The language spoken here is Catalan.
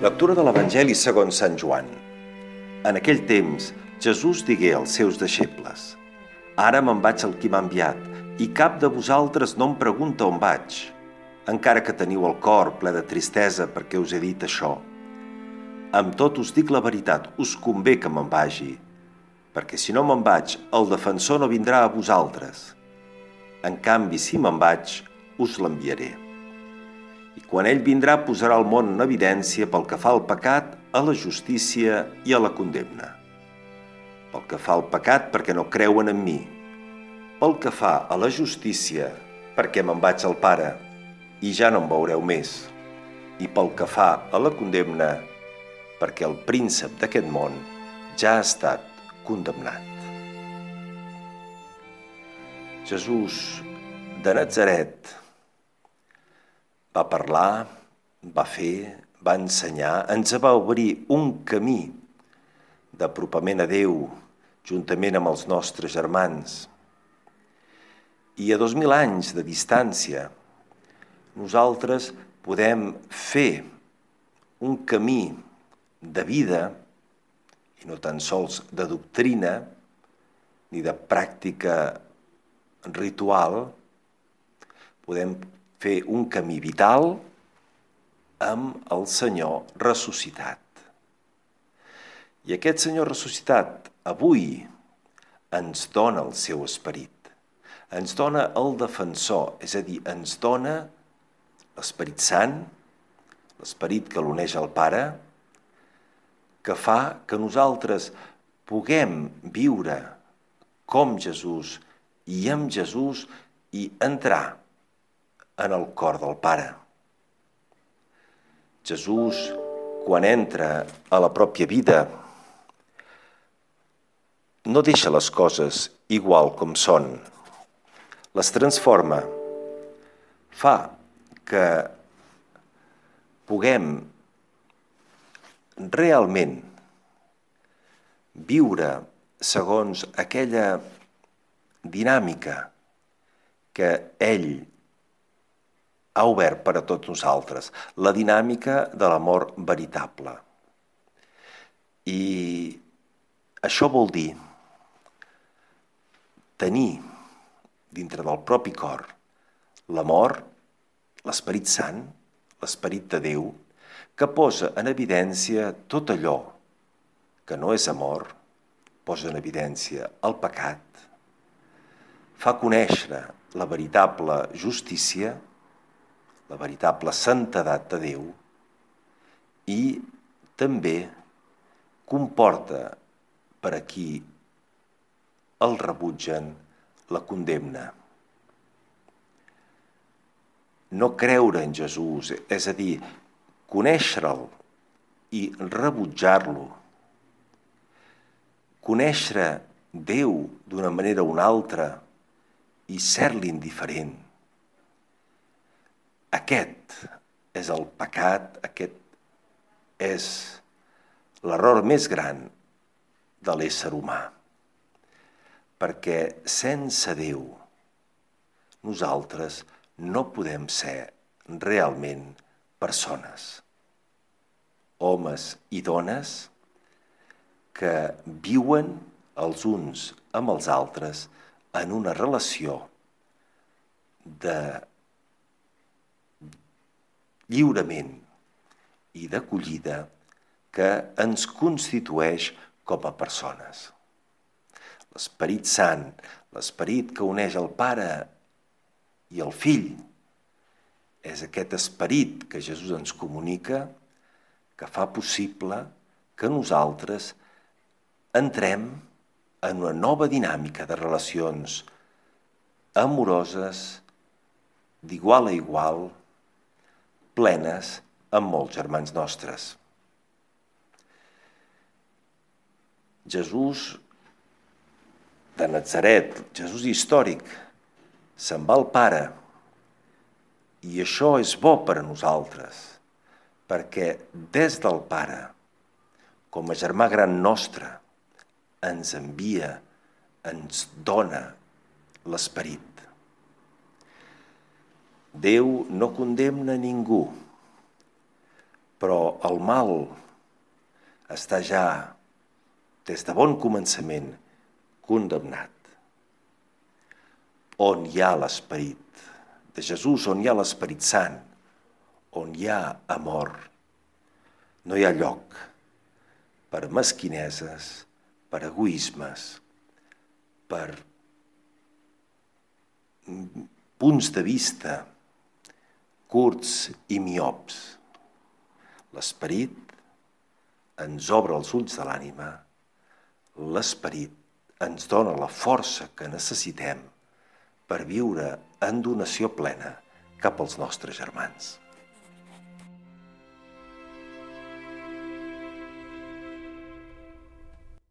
Lectura de l'Evangeli segons Sant Joan. En aquell temps, Jesús digué als seus deixebles: «Ara me'n vaig al qui m'ha enviat, i cap de vosaltres no em pregunta on vaig, encara que teniu el cor ple de tristesa perquè us he dit això. Amb tot us dic la veritat, us convé que me'n vagi, perquè si no me'n vaig, el defensor no vindrà a vosaltres. En canvi, si me'n vaig, us l'enviaré. I quan ell vindrà, posarà el món en evidència pel que fa al pecat, a la justícia i a la condemna. Pel que fa al pecat, perquè no creuen en mi. Pel que fa a la justícia, perquè me'n vaig al Pare, i ja no em veureu més. I pel que fa a la condemna, perquè el príncep d'aquest món ja ha estat condemnat». Jesús de Natzaret va parlar, va fer, va ensenyar, ens va obrir un camí d'apropament a Déu juntament amb els nostres germans. I a 2000 anys de distància, nosaltres podem fer un camí de vida, i no tan sols de doctrina, ni de pràctica ritual, podem fer un camí vital amb el Senyor ressuscitat. I aquest Senyor ressuscitat avui ens dona el seu esperit, ens dona el defensor, és a dir, ens dona l'Esperit Sant, l'esperit que l'uneix al Pare, que fa que nosaltres puguem viure com Jesús i amb Jesús i entrar en el cor del Pare. Jesús, quan entra a la pròpia vida, no deixa les coses igual com són, les transforma, fa que puguem realment viure segons aquella dinàmica que ell ha obert per a tots nosaltres, la dinàmica de l'amor veritable. I això vol dir tenir dintre del propi cor l'amor, l'Esperit Sant, l'Esperit de Déu, que posa en evidència tot allò que no és amor, posa en evidència el pecat, fa conèixer la veritable justícia, la veritable santedat de Déu, i també comporta per a qui el rebutgen la condemna. No creure en Jesús, és a dir, conèixer-lo i rebutjar-lo, conèixer Déu d'una manera o una altra i ser-li indiferent. Aquest és el pecat, aquest és l'error més gran de l'ésser humà, perquè sense Déu nosaltres no podem ser realment persones, homes i dones que viuen els uns amb els altres en una relació de lliurament i d'acollida que ens constitueix com a persones. L'Esperit Sant, l'esperit que uneix el Pare i el Fill, és aquest esperit que Jesús ens comunica, que fa possible que nosaltres entrem en una nova dinàmica de relacions amoroses, d'igual a igual, plenes amb molts germans nostres. Jesús de Natzaret, Jesús històric, se'n va al Pare, i això és bo per a nosaltres, perquè des del Pare, com a germà gran nostre, ens envia, ens dona l'Esperit. Déu no condemna ningú, però el mal està ja, des de bon començament, condemnat. On hi ha l'Esperit de Jesús, on hi ha l'Esperit Sant, on hi ha amor, no hi ha lloc per mesquineses, per egoismes, per punts de vista curts i miops. L'Esperit ens obre els ulls de l'ànima, l'Esperit ens dona la força que necessitem per viure en donació plena cap als nostres germans.